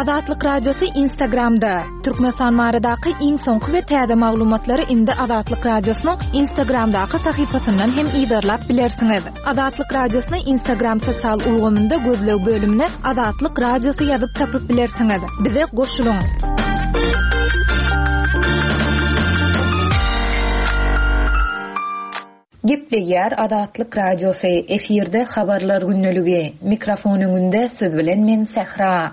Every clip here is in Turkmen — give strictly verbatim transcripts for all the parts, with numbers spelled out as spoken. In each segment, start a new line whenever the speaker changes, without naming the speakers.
Azatlyk Radiosy Instagramda. Türkmenistan baradaky iň soňky we täze maglumatlary indi Azatlyk Radiosynyň Instagramdaky sahypasyndan hem yzarlap bilersiňiz. Azatlyk Radiosyny Instagram sosial ulgamynda gözleg bölümine Azatlyk Radiosy ýazyp tapyp bilersiňiz. Bize goşulyň.
Gepleýär Azatlyk Radiosy, efirde habarlar gündeligi. Mikrofon öňünde siz bilen men Sähra.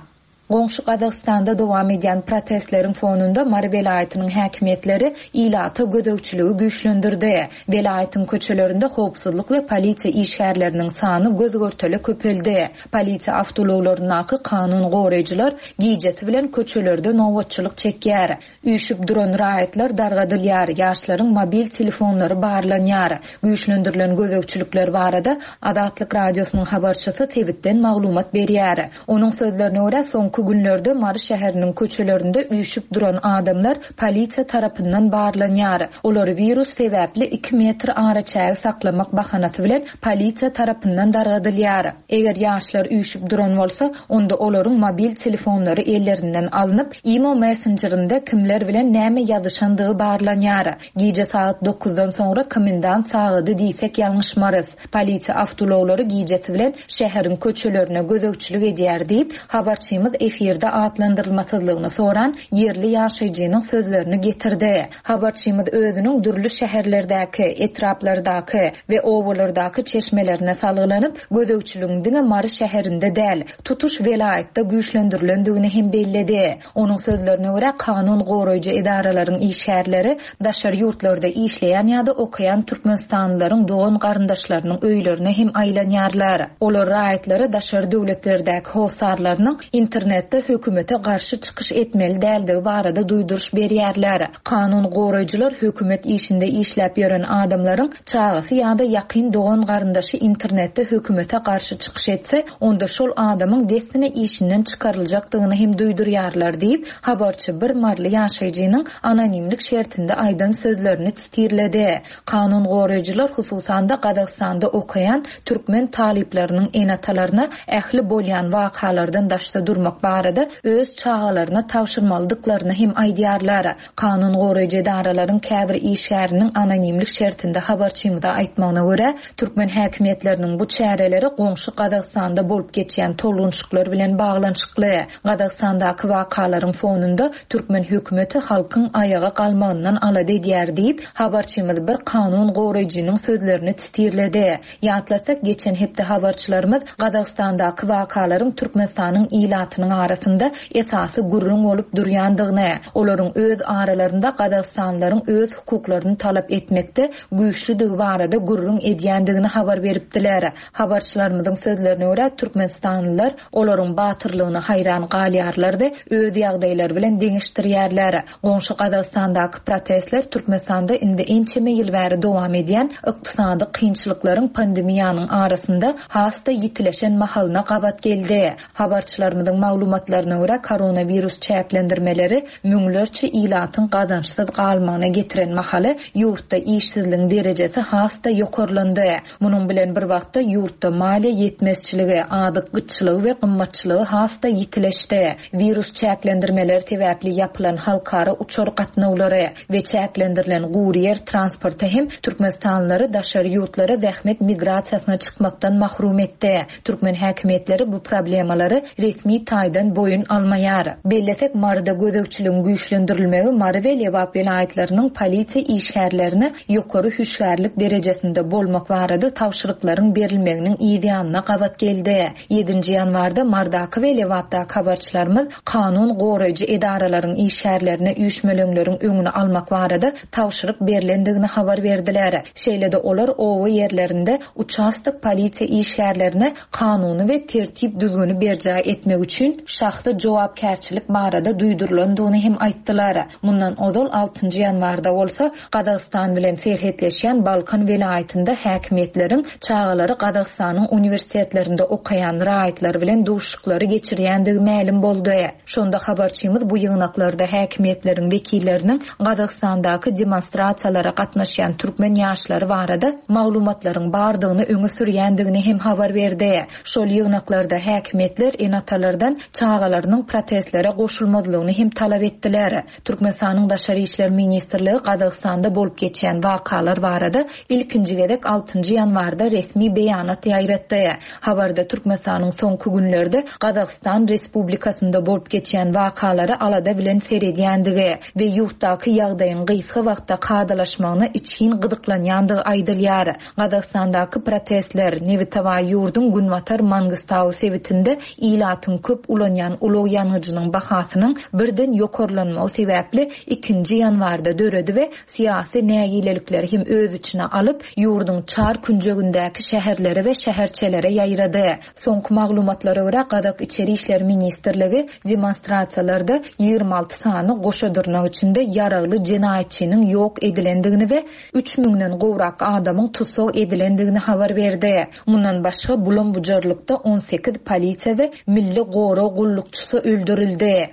Goňşy Gazagystanda dowam edýän protestleriň fonunda Mary welaýatynyň häkimiýetleri ilata gözegçiligi güýçlendirdi. Welaýatyň köçelerinde howpsuzlyk we polisiýa işgärleriniň sany göz-görtele köpeldi. Polisiýa awtoulaglaryndaky kanun goraýjylar gijesi bilen köçelerde nobatçylyk çekýär. Üýşüp duran raýatlar dargadylýar, ýaşlaryň mobil telefonlary barlanýar. Güýçlendirilen gözegçilikler barada Azatlyk Radiosynyň habarçysy sebitden maglumat berýär. Onuň sözlerine görä, soňky günlerde Mary şäheriniň köçelerinde üýşüp duran adamlar polisiýa tarapyndan barlanýar. Olary wirus sebäpli iki metr araçägi saklamak bahanasy bilen polisiýa tarapyndan dargadylýar. Eger ýaşlar üýşüp duran bolsa, onda olaryň mobil telefonlary ellerinden alnyp, Imo messenjerinde kimler bilen näme ýazyşandygy barlanýar. Gije sagat dokuzdan soňra komendant sagady diýsek ýalňyşmarys. Polisiýa awtoulaglary gijesi bilen şäheriň köçelerine gözegçilik edýär diýip, habarçymyz efirde atlandyrylmasyzlygyny soran ýerli ýaşaýjynyň sözlerini getirdi. Habarçymyz özüniň dürli şäherlerdäki, etraplardaky we obalardaky çeşmelerine salgylanyp, gözegçiligiň diňe Mary şäherinde däl, tutuş welaýatda güýçlendirilendigini hem belledi. Onuň sözlerine görä, kanun goraýjy edaralaryň işgärleri daşary ýurtlarda işleýän ýa-da okaýan türkmenistanlylaryň dogan garyndaşlarynyň öýlerine hem aýlanýarlar. Olar raýatlara daşary döwletlerdäki hossarlarynyň internetde hökümete garşy çykyş etmeli däldigi barada duýduryş berýärler. Kanun goraýjylar hökümet işinde işläp ýören adamlaryň çagasy ýa-da ýakyn dogan garyndaşy internetde hökümete garşy çykyş etse, onda şol adamyň dessine işinden çykaryljakdygyny hem duýdurýarlar diýip, habarçy bir maryly ýaşaýjynyň anonimlik şertinde aýdan sözlerini sitirledi. Kanun goraýjylar hususan-da Gazagystanda okaýan türkmen talyplarynyň ene-atalaryna ähli bolýan wakalardan daşda durmak barada öz çagalaryna tabşyrmalydyklaryny hem aýdýarlar. Kanun goraýjy edaralaryň käbir işgäriniň anonimlik şertinde habarçymyza aýtmagyna görä, türkmen häkimiýetleriniň bu çäreleri goňşy Gazagystanda bolup geçýän tolgunşyklar bilen baglanyşykly. Gazagystandaky wakalaryň fonunda türkmen hökümeti halkyň aýaga galmagyndan alada edýär diýip, habarçymyz bir kanun goraýjynyň sözlerini sitirledi. Ýatlasak, geçen hepde habarçylarymyz Gazagystandaky wakalaryň Türkmenistanyň ilatynyň arasynda esasy gürrüň bolup durýandygyny, olaryň öz aralarynda Gazagystanlylaryň öz hukuklaryny talap etmekde güýçlüdigi barada gürrüň edýändigini habar beripdiler. Habarçylarymyzyň sözlerine görä, türkmenistanlylar olaryň batyrlygyna haýran galýarlar we öz ýagdaýlary bilen deňeşdirýärler. Goňşy Gazagystandaky protestler Türkmenistanda indi ençeme ýyl bäri dowam edýän ykdysady kynçylyklaryň pandemiýanyň arasynda has-da ýitileşen mahalyna gabat geldi. Habarçylarymyzyň maglumatlaryna görä, koronawirus çäklendirmeleri müňlerçe ilatyň gazançsyz galmagyna getiren mahaly ýurtda işsizligiň derejesi has-da ýokarlandy. Munuň bilen bir wagtda ýurtda maliýe ýetmezçiligi, azyk gytçylygy we gymmatçylygy has-da ýitileşdi. Wirus çäklendirmeleri sebäpli ýapylan halkara uçar gatnawlary we çäklendirilen gury ýer transporty hem türkmenistanlylary daşary ýurtlara zähmet migrasiýasyna çykmakdan mahrum etdi. Türkmen häkimiýetleri bu problemalary resmi taýdan boýun almaýar. Bellesek, Maryda gözegçiligiň güýçlendirilmegi Mary we Lebap welaýatlarynyň polisiýa işgärlerine ýokary hüşgärlik derejesinde bolmak barada tabşyryklaryň berilmeginiň ýanyna gabat geldi. ýedinji ýanwarda Mardaky we Lebapdaky habarçylarymyz kanun goraýjy edaralaryň işgärlerine üýşmeleňleriň öňüni almak barada tabşyryk berlendigini habar berdiler. Şeýle-de olar oba ýerlerinde uçastok polisiýa işgärlerine kanuny we tertip düzgüni berjaý etmek üçin şahsy jogapkärçilik barada duýdurylandygyny hem aýtdylar. Mundan ozal altynjy ýanwarda bolsa Gazagystan bilen serhetleşýän Balkan welaýatynda häkimiýetleriň çagalary Gazagystanyň uniwersitetlerinde okaýan raýatlar bilen duşuşyklary geçirýändigi mälim boldy. Şonda habarçymyz bu ýygnaklarda häkimiýetleriň wekilleriniň Gazagystandaky demonstrasiýalara gatnaşýan türkmen ýaşlary barada maglumatlaryň bardygyny öňe sürýändigini hem habar berdi. Şol ýygnaklarda häkimiýetler ene-atalardan çagalarynyň protestlere goşulmazlygyny hem talap etdiler. Türkmenistanyň Daşary işler ministrligi Gazagystanda bolup geçýän wakalar barada ilkinji gezek altynjy ýanwarda resmi beýanat ýaýratdy. Habarda Türkmenistanyň soňky günlerde Gazagystan Respublikasynda bolup geçýän wakalara alada bilen seredýändigi we ýurtdaky ýagdaýyň gysga wagtda kadalaşmagyna içgin gyzyklanýandygy aýdylýar. Gazagystandaky protestler Nebitawa ýurduň Günbatar Mangistau sebitinde ilatyň köp ulanýan ulag ýangyjynyň bahasynyň birden ýokarlanmagy sebäpli ikinji ýanwarda döredi we syýasy nägilelikleri hem öz içine alyp, ýurduň çar künjegindäki şäherlere we şäherçelere ýaýrady. Soňky maglumatlara görä Gazak İçeri İşler Ministrligi demonstrasiýalarda ýigrimi alty sany goşa dyrnak içinde ýaragly jenaýatçynyň ýok edilendigini we üç müňden gowrak adamyň tussag edilendigini habar berdi. Mundan başga bulam-bujarlykda on sekiz polisiýa we milli gorag gullukçysy öldürildi.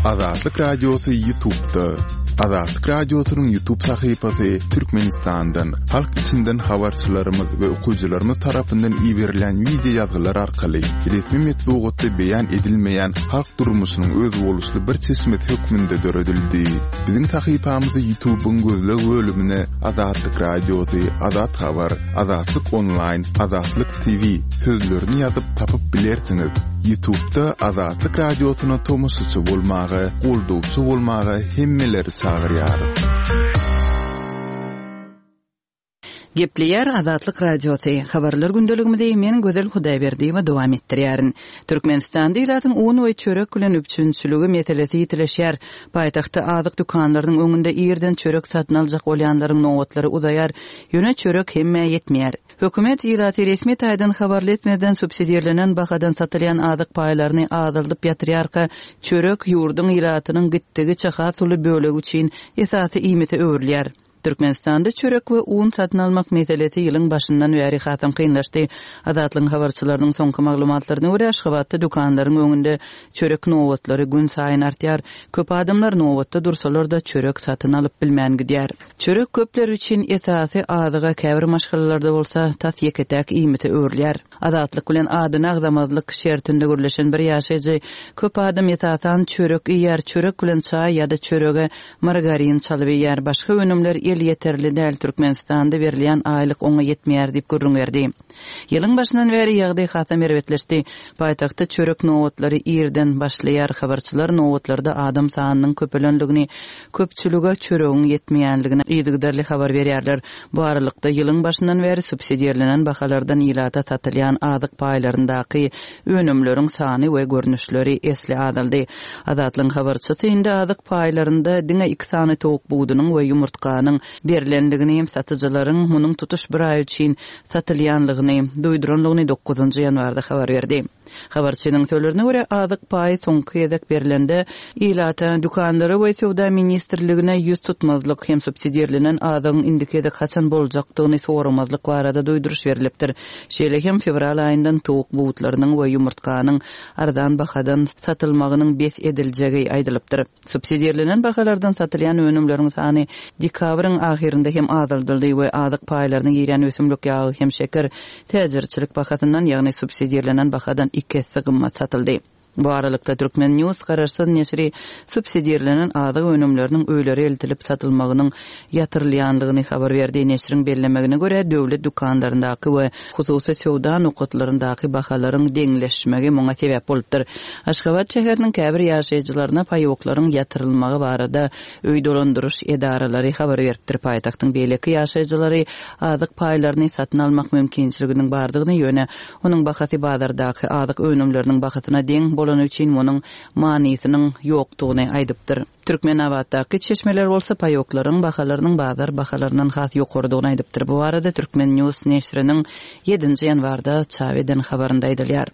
Azatlyk Radiosy YouTube'da. Azatlyk Radiosynyň YouTube sahypasy Türkmenistandan, halk içinden habarçylarymyz we okyjylarymyz tarapyndan iberilen video ýazgylar arkaly resmi metbugatda beýan edilmeýän halk durmuşynyň özboluşly bir çeşmesi hökmünde döredildi. Biziň sahypamyzy YouTube'yň gözleg bölümine Azatlyk Radiosy, Azat Habar, Azatlyk Online, Azatlyk T V sözlerini ýazyp tapyp bilersiňiz. YouTube'da Azatlyk Radiosyna tomaşaçy bolmaga, goldawçy bolmaga hemmeleri çagyrýarys.
Gepleýär Azatlyk Radiosy. Habarlar gündeligimizi men Gözel Hudaýberdiýewa dowam etdirýärin. Türkmenistanda ilatyň un we çörek bilen üpjünçiligi meselesi ýitileşýär. Paýtagtda azyk dükanlarynyň öňünde irden çörek satyn aljak bolýanlaryň nobatlary uzaýar. Ýöne çörek hemmä ýetmeýär. Hökümet ilaty resmi taýdan habarly etmeden subsidirlenen bahadan satylýan azyk paýlaryny azaldyp ýatyrýarka, çörek ýurduň ilatynyň gitdigiçe has uly bölegi üçin esasy iýmite öwrülýär. Türkmenistanda çörek we un satyn almak meselesi ýylyň başyndan bäri hasam kynlaşdy. Azatlygyň habarçylarynyň soňky maglumatlaryna görä, Aşgabatda dükanlaryň öňünde çörek nobatlary gün saýyn artýar. Köp adamlar nobatda dursalar da çörek satyn alyp bilmän gidýär. Çörek köpler üçin esasy azyga käbir maşgalalarda bolsa tas ýeke-täk iýmite öwrülýär. Azatlyk bilen adyny agzamazlyk şertinde gürleşen bir ýaşaýjy köp adam esasan çörek iýer, çörek bilen çaý ýa-da çörege margarin çalyp iýer. Başga önümler el ýeterli däl, Türkmenistanda berilýän aýlyk oňa ýetmeýär diýip gürrüň berdi. Ýylyň başyndan bäri ýagdaý hasam erbetleşdi. Paýtagtda çörek nobatlary irden başlaýar. Habarçylar nobatlarda adam sanynyň köpelenligini, köpçülige çöregiň ýetmeýänligini yzygiderli habar berýärler. Bu aralykda ýylyň başyndan bäri subsidirlenen bahalardan ilata satylýan azyk paýlaryndaky önümleriň sany we görnüşleri esli azaldy. Azatlygyň habarçysy indi azyk paýlarynda diňe iki sany towuk budunyň we ýumurtganyň berlenligini, satyjylaryň munuň tutuş bir aý üçin satylýanlygyny duýduranlygyny dokuzynjy ýanwarda habar berdi. Habarçynyň sözlerine görä azyk paýy soňky gezek berlende ilata, dükanlara we söwda ministrligine ýüz tutmazlyk hem subsidirlenen azygyň indiki gezek haçan boljakdygyny soramazlyk barada duýduryş berilipdir. Şeýle hem fewral aýyndan towuk butlarynyň we ýumurtganyň arzan bahadan satylmagynyň bes ediljegi aýdylypdyr. Subsidirlenen bahalardan satylýan önümleriň sany dekabryň ahyrynda hem azaldyldy we azyk paýlaryna girýän ösümlik ýagy hem şeker täjirçilik bahasyndan, ýagny subsidirlenen bahadan iki esse gymmat satyldy. Bu aralykda Türkmen News garaşsyz neşiri subsidirlenen azyk önümleriniň öýlere eltilip satylmagynyň ýatyrylýanlygyny habar berdi. Neşiriň bellemegine görä döwlet dükanlaryndaky we hususy söwda nokatlaryndaky bahalaryň deňleşmegi muňa sebäp bolupdyr. Aşgabat şäheriniň käbir ýaşaýjylaryna paýoklaryň ýatyrylmagy barada öý dolandyryş edaralary habar beripdir. Paýtagtyň beýleki ýaşaýjylary azyk paýlaryny satyn almak mümkinçiliginiň bardygyny, ýöne onuň bahasy bazardaky azyk önümleriniň bahasyna deň bolany üçin munuň manysynyň ýokdugyny aýdypdyr. Türkmenabatdaky çeşmeler bolsa paýoklaryň bahalarynyň bazar bahalaryndan has ýokarydygyny aýdypdyr. Bu barada Türkmen News neşiriniň ýedinji ýanwarda çap eden habarynda aýdylýar.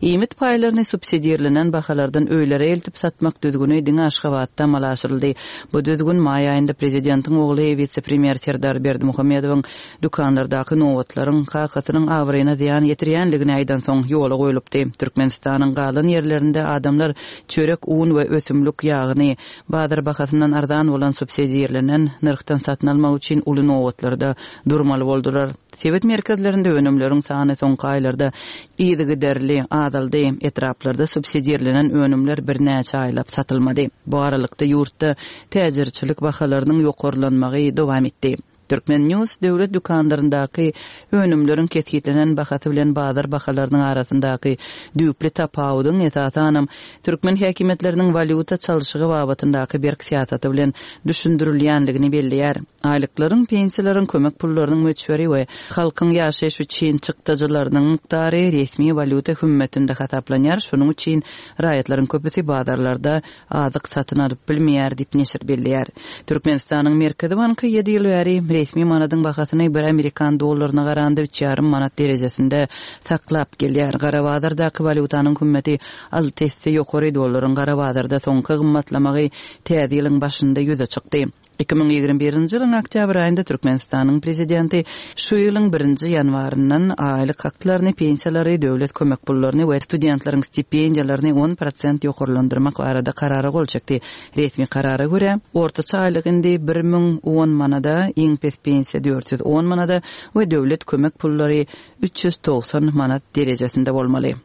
Iýmit paýlaryny subsidirlenen bahalardan öýlere eltip satmak düzgüni diňe Aşgabatda amala aşyryldy. Bu düzgün maý aýynda prezidentiň ogly wise-premýer Serdar Berdimuhamedowyň dükanlardaky nobatlaryň kakasynyň abraýyna zyýan ýetirýänligini aýdansoň ýola goýlupdy. Türkmenistanyň galan ýerlerinde adamlar çörek, un we ösümlik ýagyny bazar bahasyndan arzan bolan subsidirlenen nyrhdan satyn almak üçin uly nobatlarda durmaly boldular. Sebit merkezlerinde önümleriň sany soňky aýlarda yzygiderli azaldy. Etraplarda subsidirlenen önümler birnäçe aýlap satylmady. Bu aralykda ýurtda täjirçilik bahalarynyň ýokarlanmagy dowam etdi. Turkmen News döwlet dükanlaryndaky önümleriň kesgitlenen bahasy bilen bazar bahalarynyň arasyndaky düýpli tapawudyň esasanam türkmen häkimiýetleriniň walýuta çalşygy babatyndaky berk syýasaty bilen düşündirilýänligini belleýär. Aýlyklaryň, pensiýalaryň, kömek pullarynyň möçberi we halkyň ýaşaýyş üçin çykdajylarynyň mukdary resmi walýuta hümmetinde hasaplanýar. Şonuň üçin raýatlaryň köpüsi bazarlarda azyk satyn alyp bilmeýär diýip neşir belleýär. Türkmenistanyň Merkezi banky ýedi ýyl bäri resmi manadyň bahasyny bir amerikan dollaryna garanda üç ýarym manat derejesinde saklap gelýär. Gara bazardaky walýutanyň hümmeti alty esse ýokary, dollaryň gara bazarda soňky gymmatlamagy täze ýylyň başynda ýüze çykdy. Iki müň ýigrimi birinji ýylyň oktýabr aýynda Türkmenistanyň prezidenti şu ýylyň birinji ýanwaryndan aýlyk haklaryny, pensiýalary, döwlet kömek pullaryny we studentleriň stipendiýalaryny on prosent ýokarlandyrmak barada karara gol çekdi. Resmi karara görä, ortaça aýlyk indi bir müň on manada, iň pes pensiýa dört ýüz on manada we döwlet kömek pullary üç ýüz togsan manat derejesinde bolmaly.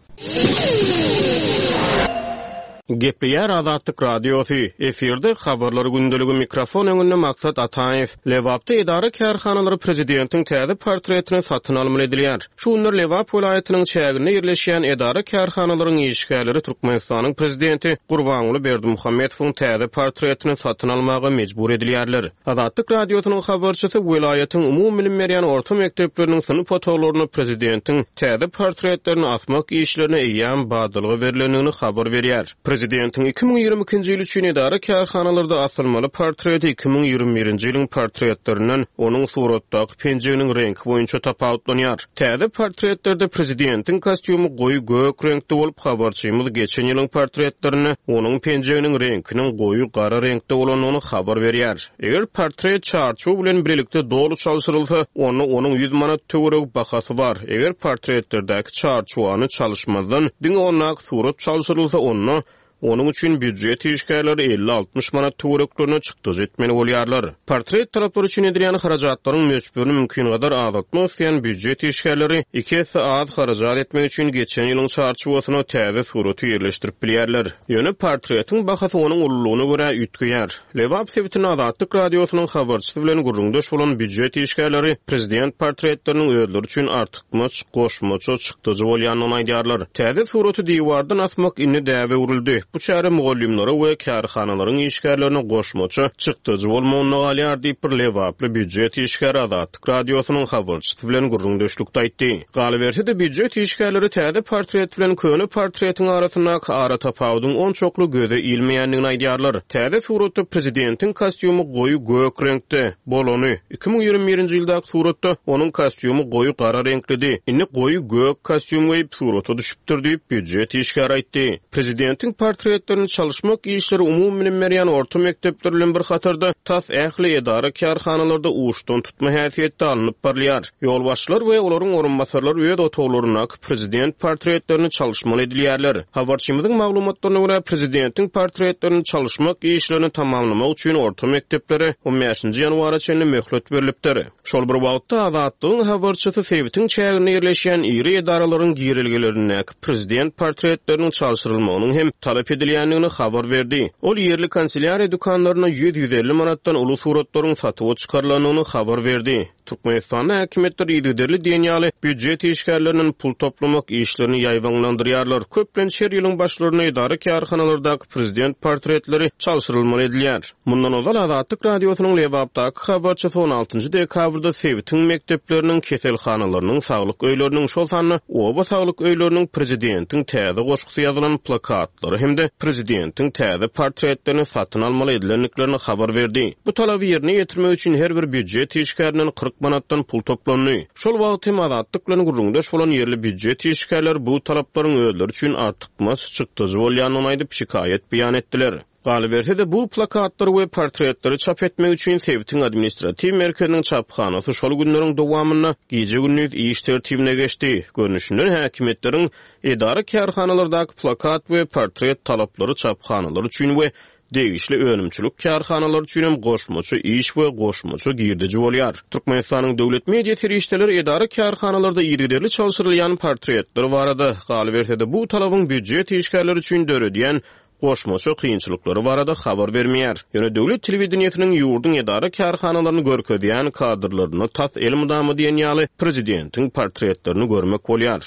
Gepleýär Azatlyk Radiosy, efirde habarlar gündeligi, mikrofon öňünde Maksat Ataýew. Lebapda edara kärhanalary prezidentiň täze portretini satyn almaly edilýär. Şu günler Lebap welaýatynyň çäginde ýerleşýän edara kärhanalaryň işgärleri Türkmenistanyň prezidenti Gurbanguly Berdimuhamedowyň täze portretini satyn almaga mejbur edilýärler. Azatlyk Radiosynyň habarçysy welaýatyň umumy bilim berýän orta mekdepleriniň synp otaglaryna prezidentiň täze portretlerini asmak işlerine eýýäm badalga berlendigini habar berýär. Prezidentiň iki müň ýigrimi ikinji ýyl üçin edara kärhanalarda asylmaly portreti iki müň ýigrimi birinji ýylyň portretlerinden onuň suratdaky penjeginiň reňki boýunça tapawutlanýar. Täze portretlerde prezidentiň kostýumy goýy gök reňkde bolup, habarçymyz geçen ýylyň portretlerinde onuň penjeginiň reňkiniň goýy gara reňkde bolandygyny habar berýär. Eger portret çarçuw bilen birlikde doly çalşyrylsa, onda onuň ýüz manat töweregi bahasy bar. Eger portretlerdäki çarçuwany çalyşmazdan diňe ondaky surat çalşyrylsa, onda onuň üçin býujet işgärleri elli altmyş manat töwereklerine çykdajy etmeli bolýarlar. Portret talaplary üçin edilýän harajatlaryň möçberini mümkin gadar azaltmak isleýän býujet işgärleri iki esse az harajat etmek üçin geçen ýylyň çarçuwasyna täze suraty ýerleşdirip bilýärler. Ýöne portretiň bahasy onuň ululygyna görä üýtgeýär. Lebap sebitinde Azatlyk Radiosynyň habarçysy bilen gürrüňdeş bolan býujet işgärleri prezident portretleriniň özleri üçin artykmaç goşmaça çykdajy bolýandygyny aýdýarlar. Täze suraty diwardan asmak indi däbe öwrüldi. Bu çäre mugallymlara we kärhanalaryň işgärlerine goşmaça çykdajy bolmagyna galýar diýip bir Lebaply býujet işgäri Azatlyk Radiosynyň habarçysy bilen gürrüňdeşlikde aýtdy. Galyberse-de býujet işgärleri täze portret bilen köne portretiň arasyndaky ara tapawudyň onçakly göze ilmeýändigini aýdýarlar. Täze suratda prezidentiň kostýumy goýy gök reňkde bolany, iki müň ýigrimi birinji ýyldaky suratda onuň kostýumy goýy gara reňklidi. Indi goýy gök kostýum geýip surata düşüpdir diýip býujet işgäri aýtdy. Prezidentiň portretlerini çalyşmak işleri umumy bilim berýän orta mekdepler bilen bir hatarda tas ähli edara kärhanalarda uçdan tutma häsiýetde alnyp barylýar. Ýolbaşçylar we olaryň orunbasarlary öz otaglaryndaky prezident portretlerini çalyşmaly edilýärler. Habarçymyzyň maglumatlaryna görä prezidentiň portretlerini çalyşmak işlerini tamamlamak üçin orta mekdeplere on bäşinji ýanwara çenli möhlet berilipdir. Şol bir wagtda Azatlygyň habarçysy sebitiň çäginde ýerleşýän iri edaralaryň girelgelerindäki prezident portretleriniň çalşyrylmagynyň hem talap edilýändigini habar berdi. Ol ýerli kanselýariýa dükanlaryna ýüz ýüz elli manatdan uly suratlaryň satuwa çykarylandygyny habar berdi. Türkmenistanda häkimiýetler yzygiderli diýen ýaly býujet işgärlerinden pul toplamak işlerini ýaýbaňlandyrýarlar. Köplenç her ýylyň başlarynda edara kärhanalardaky prezident portretleri çalşyrylmaly edilýär. Mundan ozal Azatlyk Radiosynyň Lebapdaky habarçysy on altynjy dekabrda sebitiň mekdepleriniň, keselhanalarynyň, saglyk öýleriniň, şol sanda oba saglyk öýleriniň prezidentiň täze goşgusy ýazylan plakatlary hem-de prezidentiň täze portretlerini satyn almaly edilendiklerini habar berdi. Bu talaby ýerine ýetirmek üçin her bir býujet işgärinden kyrk kyrk manatdan pul toplandy. Şol wagt hem Azatlyk bilen gürrüňdeş bolan ýerli býujet işgärleri bu talaplaryň özleri üçin artykmaç çykdajy bolýandygyny aýdyp, şikaýat beýan etdiler. Galyberse-de, bu plakatlary we portretleri çap etmek üçin sebitiň administratiw merkeziniň çaphanasy şol günleriň dowamynda gije-gündiz iş tertibine geçdi. Görnüşinden, häkimiýetleriň edara-kärhanalardaky plakat we portret talaplary çaphanalar üçin we degişli önümçilik kärhanalary üçin hem goşmaça iş we goşmaça girdeji bolýar. Türkmenistanyň döwlet media serişdeleri edara-kärhanalarda yzygiderli çalşyrylýan portretler barada, galyberse-de, bu talabyň býujet işgärleri üçin döredýän goşmaça kynçylyklary barada habar bermeýär. Ýöne döwlet telewideniýesiniň ýurduň edara-kärhanalaryny görkezýän kadrlarynda tas elmydama diýen ýaly prezidentiň portretlerini görmek bolýar.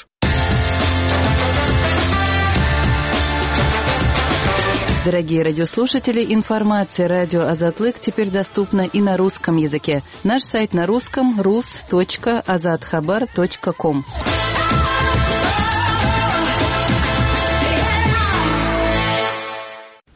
Дорогие радиослушатели, информация радио Азатлык теперь доступна и на русском языке. Наш сайт на русском rus.azathabar.com.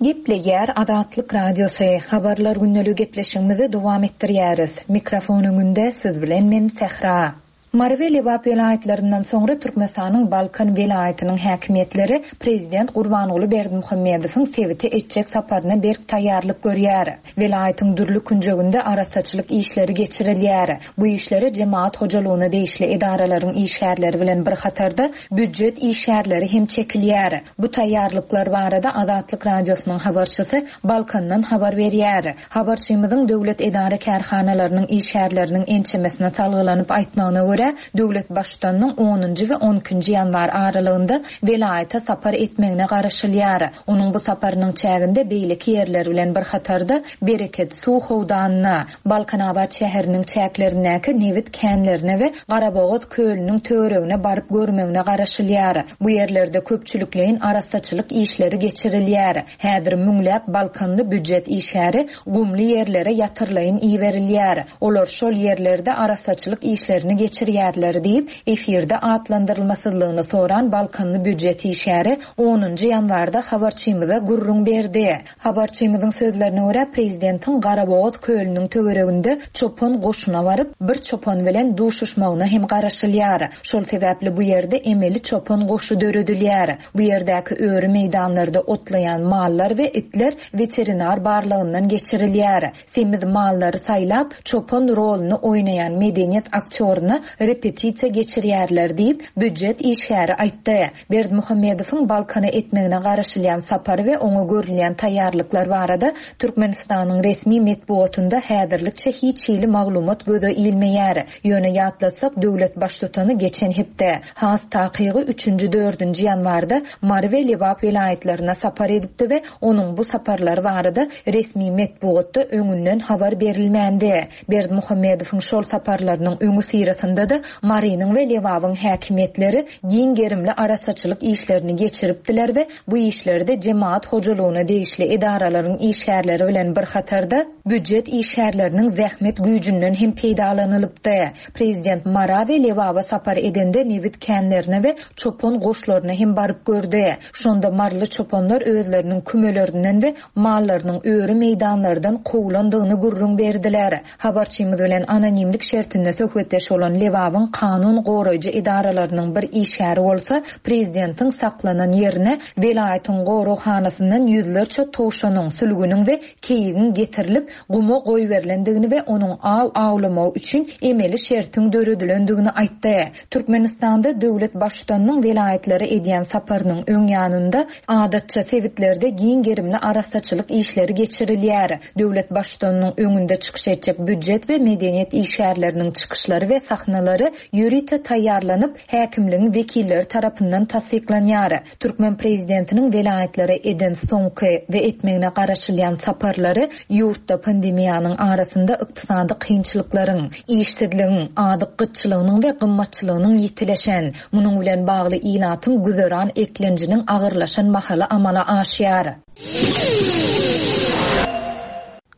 Gepleýär Azatlyk Radiosy. Habarlar gündeligi gepleşigimizi dowam etdirýäris. Mikrofon öňünde siz bilen men Sähra. Mary we Lebap welaýatlaryndan soňra Türkmenistanyň Balkan welaýatynyň häkimiýetleri Prezident Gurbanguly Berdimuhamedowyň sebite etjek saparyna berk taýýarlyk görýär. Welaýatyň dürli künjeginde arassaçylyk işleri geçirilýär. Bu işlere jemaat hojalygyna degişli edaralaryň işgärleri bilen bir hatarda býujet işgärleri hem çekilýär. Bu taýýarlyklar barada Azatlyk Radiosynyň habarçysy Balkandan habar berýär. Habarçymyzyň döwlet edara kärhanalarynyň işgärleriniň ençemesine salgylanyp aýtmagyna görä, döwlet baştutanynyň onunjy we on ikinji ýanwar aralygynda welaýata sapar etmegine garaşylýar. Onuň bu saparynyň çäginde beýleki ýerler bilen bir hatarda Bereket suw howdanyna, Balkanabat şäheriniň çäklerindäki nebit känlerine we Garabogaz kölüniň töweregine baryp görmegine garaşylýar. Bu ýerlerde köpçülikleýin arassaçylyk işleri geçirilýär. Häzir müňläp Balkanly býujet işgäri gumly ýerlere ýatyrlaýyn iberilýär. Olar şol ýerlerde arassaçylyk işlerini geçirýärler diýip, efirde atlandyrylmasyzlygyny soran Balkanly býujet işgäri onunjy ýanwarda habarçymyza gürrüň berdi. Habarçymyzyň sözlerine görä, prezidentiň Garabogaz kölüniň töwereginde çopan goşuna baryp, bir çopan bilen duşuşmagyna hem garaşylýar. Şol sebäpli bu ýerde emeli çopan goşy döredilýär. Bu ýerdäki öri meýdanlarda otlaýan mallar we itler weterinar barlagyndan geçirilýär. Semiz mallary saýlap, çopan roluny oýnaýan medeniýet aktýoryna repetisiýa geçirýärler diýip, býujet işgäri aýtdy. Berdimuhamedowyň Balkana etmegine garaşylýan sapary we oňa görülýän taýýarlyklar barada Türkmenistanyň resmi metbugatynda häzirlikçe hiç hili maglumat göze ilmeýär. Ýöne ýatlatsak, döwlet baştutany geçen hepde, has takygy üçünji dördünji ýanwarda Mary we Lebap welaýatlaryna sapar edipdi we onuň bu saparlary barada resmi metbugatda öňünden habar berilmändi. Berdimuhamedowyň şol saparlarynyň öňi syrasynda da Marynyň we Lebabyň häkimiýetleri giň gerimli arassaçylyk işlerini geçiripdiler we bu işlerde jemaat hojalygyna degişli edaralaryň işgärleri bilen bir hatarda býujet işgärleriniň zähmet güýjünden hem peýdalanylypdy. Prezident Mara we Lebaba sapar edende nebit känlerine we çopan goşlaryna hem baryp gördi. Şonda marly çopanlar özleriniň kümelerinden we mallarynyň öri meýdanlardan kowlandygyny gürrüň berdiler. Habarçymyz bilen anonimlik şertinde söhbetdeş bolan Lebabyň kanun goraýjy edaralarynyň bir işgäri bolsa, prezidentiň saklanan ýerine welaýatyň goraghanasyndan ýüzlerçe towşanyň, sülgüniň we keýigiň getirilip guma goýberilendigini we onuň aw awlamagy üçin emeli şertiň döredilendigini aýtdy. Türkmenistanda döwlet baştutanynyň welaýatlara edýän saparynyň öň ýanynda adatça sebitlerde giň gerimli arassaçylyk işleri geçirilýär. Döwlet baştutanynyň öňünde çykyş etjek býujet we medeniýet işgärleriniň çykyşlary we sahnalary ýörite taýýarlanyp, häkimligiň wekilleri tarapyndan tassyklanýar. Türkmen prezidentiniň welaýatlara eden soňky we etmegine garaşylýan saparlary ýurtda pandemiýanyň arasynda ykdysady kynçylyklaryň, işsizligiň, azyk gytçylygynyň we gymmatçylygynyň ýitileşen, munuň bilen bagly ilatyň güzeran eklenjiniň agyrlaşan mahaly amala aşýar.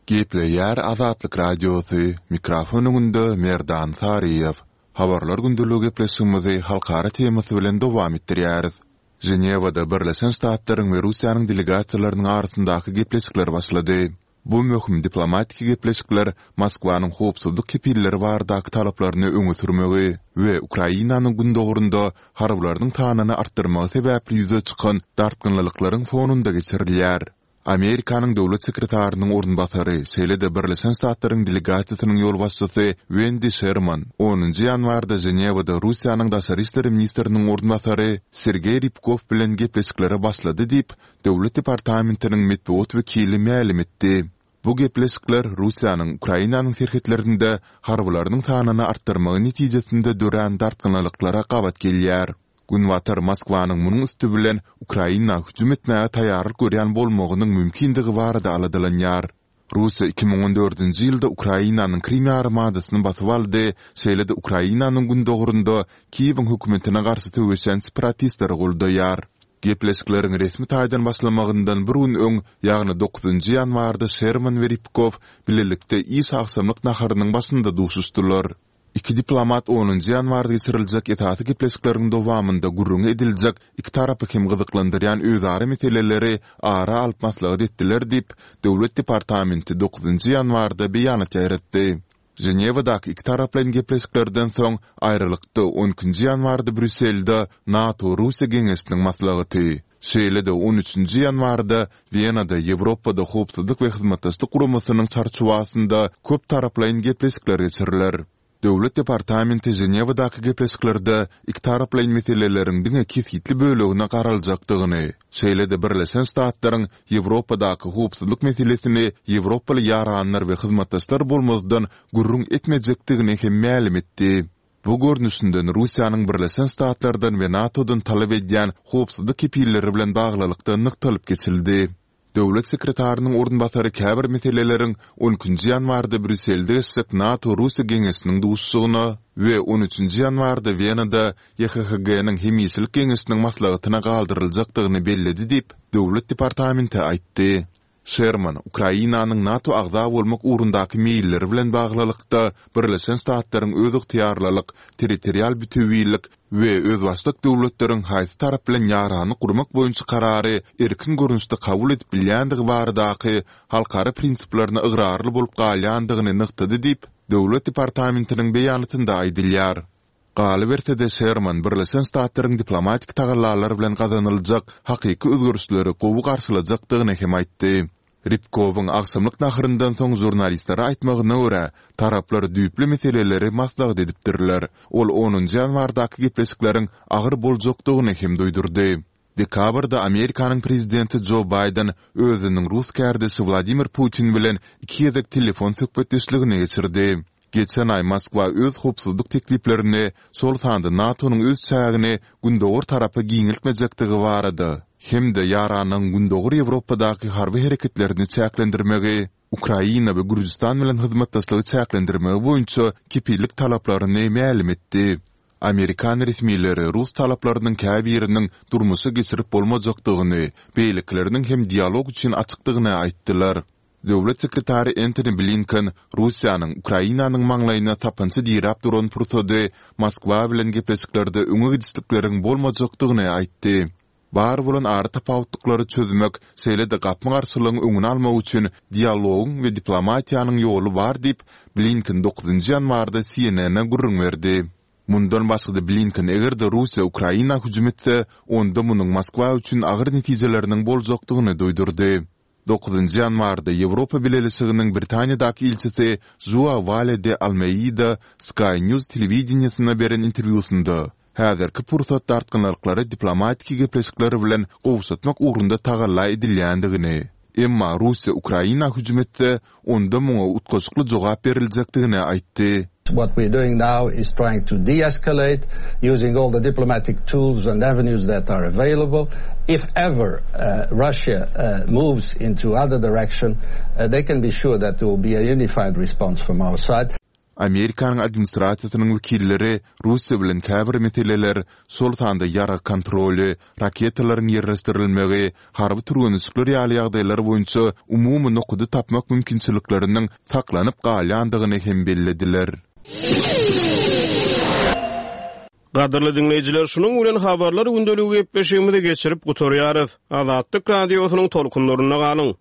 Gepleýär Azatlyk Radiosy, mikrofon öňünde Merdan Saryýew. Habarlar gündeligi gepleşigimizi halkara temasy bilen dowam etdirýäris. Ženewada Birleşen Ştatlaryň we Russiýanyň delegasiýalarynyň arasyndaky gepleşikler başlady. Bu möhüm diplomatik gepleşikler Moskwanyň howpsuzlyk kepilleri baradaky talaplaryny öňe sürmegi we Ukrainanyň gündogarynda harbylarynyň sanyny artdyrmagy sebäpli ýüze çykan dartgynlylyklaryň fonunda geçirilýär. Amerikanyň döwlet sekretarynyň orunbasary, şeýle-de Birleşen Ştatlaryň delegasiýasynyň ýolbaşçysy Wendi Şerman onunjy ýanwarda Ženewada Russiýanyň daşary işler ministriniň orunbasary Sergeý Rýabkow bilen gepleşiklere başlady diýip, Döwlet departamentiniň metbugat wekili mälim etdi. Bu gepleşikler Russiýanyň Ukrainanyň serhetlerinde harbylarynyň sanyny artdyrmagy netijesinde dörän dartgynlylyklara gabat gelýär. Günbatar Moskwanyň munuň üsti bilen Ukraina hüjüm etmäge taýýarlyk görýän bolmagynyň mümkindigi barada aladalanýar. Russiýa iki müň on dördünji ýylda Ukrainanyň Krym ýarymadasyny basyp aldy, şeýle-de Ukrainanyň gündogarynda Kiýewiň hökümetine garşy söweşýän separatistleri goldaýar. Gepleşikleriň resmi taýdan başlamagyndan bir gün öň, ýagny dokuzynjy ýanwarda Şerman we Rybkow bilelikde iş agşamlyk naharynyň başynda duşuşdylar. Iki diplomat onunjy ýanwarda geçiriljek esasy gepleşikleriň dowamynda gürrüňi ediljek iki tarapy hem gyzyklandyrýan özara meseleleri ara alyp maslahat etdiler diýip, Döwlet departamenti dokuzynjy ýanwarda beýanat ýaýratdy. Ženewadaky ikitaraplaýyn gepleşiklerden soň, aýralykda on ikinji ýanwarda Brýusselde NATO-Russiýa geňeşiniň maslahaty, şeýle-de on üçünji ýanwarda Wenada Ýewropada Howpsuzlyk we Hyzmatdaşlyk Guramasynyň çarçuwasynda köptaraplaýyn gepleşikler geçiriler. Döwlet departamenti Ženewadaky gepleşiklerde ikitaraplaýyn meseleleriň diňe kesgitli bölegine garaljakdygyny, şeýle-de Birleşen Ştatlaryň Ýewropadaky howpsuzlyk meselesini ýewropaly ýaranlar we hyzmatdaşlar bolmazdan gürrüň etmejekdigini hem mälim etdi. Bu görnüşinden Russiýanyň Birleşen Ştatlardan we NATO-dan talap edýän howpsuzlyk kepilleri bilen baglylykda nygtalyp geçildi. Döwlet sekretarynyň orunbasary käbir meseleleriň on ikinji ýanwarda Brýusselde geçjek NATO-Russiýa geňeşiniň duşuşygyna we on üçünji ýanwarda Wenada YHHG-niň hemişelik geňeşiniň maslahatyna galdyryljakdygyny belledi diýip, Döwlet departamenti aýtdy. Şerman, Ukrainanyň NATO agza bolmak ugrundaky meýilleri bilen baglylykda, Birleşen Ştatlaryň özygtyýarlylyk, territorial bütewilik we özbaşdak döwletleriň haýsy tarap bilen ýaranlyk gurmak boýunça karary erkin görnüşde kabul edip bilýändigi baradaky halkara prinsiplerine ygrarly bolup galýandygyny nygtady diýip, Döwlet departamentiniň beýanatynda aýdylýar. Galyberse-de, Şerman Birleşen Ştatlaryň diplomatik tagallalar bilen gazanyljak hakyky özgerişleri gowy garşylajakdygyny hem aýtdy. Rybkowyň agşamlyk naharyndan soň žurnalistlere aýtmagyna görä, taraplar düýpli meseleleri maslahat edipdirler. Ol onunjy ýanwardaky gepleşikleriň agyr boljakdygyny hem duýdurdy. Dekabrda Amerikanyň prezidenti Jo Baýden özüniň rus kärdeşi Wladimir Putin bilen iki gezek telefon söhbetdeşligini geçirdi. Geçen aý Moskwa öz howpsuzlyk tekliplerini, şol sanda NATO-nyň öz çägini gündogar tarapa giňeltmejekdigi barada hem-de ýaranlygyň Gündogar Ýewropadaky harby hereketlerini çäklendirmegi, Ukraina we Gürjüstan bilen hyzmatdaşlygy çäklendirmegi boýunça kepillik talaplaryny mälim etdi. Amerikan resmileri rus talaplarynyň käbiriniň durmuşa geçirip bolmajakdygyny, beýlekileriniň hem dialog üçin açykdygyny aýtdylar. Döwlet sekretary Entoni Blinken Russiýanyň Ukrainanyň maňlaýyna sapança diräp duran pursady Moskwa bilen gepleşiklerde öňe gidişlikleriň bolmajakdygyny aýtdy. Bar bolan aratapawutlyklary çözmek, şeýle-de gapma-garşylygyň öňüni almak üçin dialogyň we diplomatiýanyň ýoly bar diýip, Blinken dokuzynjy ýanwarda CNN-e gürrüň berdi. Mundan başga-da Blinken eger-de Russiýa Ukraina hüjüm etse, onda munuň Moskwa üçin agyr netijeleriniň boljakdygyny duýdurdy. Dokuzynjy ýanwarda Ýewropa Bileleşiginiň Britaniýadaky ilçisi Žua Wale de Almeida Sky News telewideniýesine beren interwýusynda, häzirki pursat dartgynlyklary diplomatiki gepleşikler bilen gowşatmak ugrunda tagalla edilýändigini, emma Russiýa Ukraina hüjüm etse, onda muňa utgaşykly jogap beriljekdigini aýtdy.
What we are doing now is trying to de-escalate using all the diplomatic tools and avenues that are available. If ever Russia moves into other direction, they can be sure that there will be a unified response from our side.
Amerikanyň administrasiýasynyň wekilleri Russiýa bilen käbir meseleler, şol sanda ýarag kontroly, raketalaryň ýerleşdirilmegi, harby türgenleşikler ýaly ýagdaýlar boýunça umumy nokady tapmak mümkinçilikleriniň saklanyp galýandygyny hem bellediler.
Gadyrly diňleýjiler, şunuň bilen Habarlar gündeligi gepleşigimizi geçirip gutarýarys. Azatlyk Radiosynyň tolkunlarynda galyň!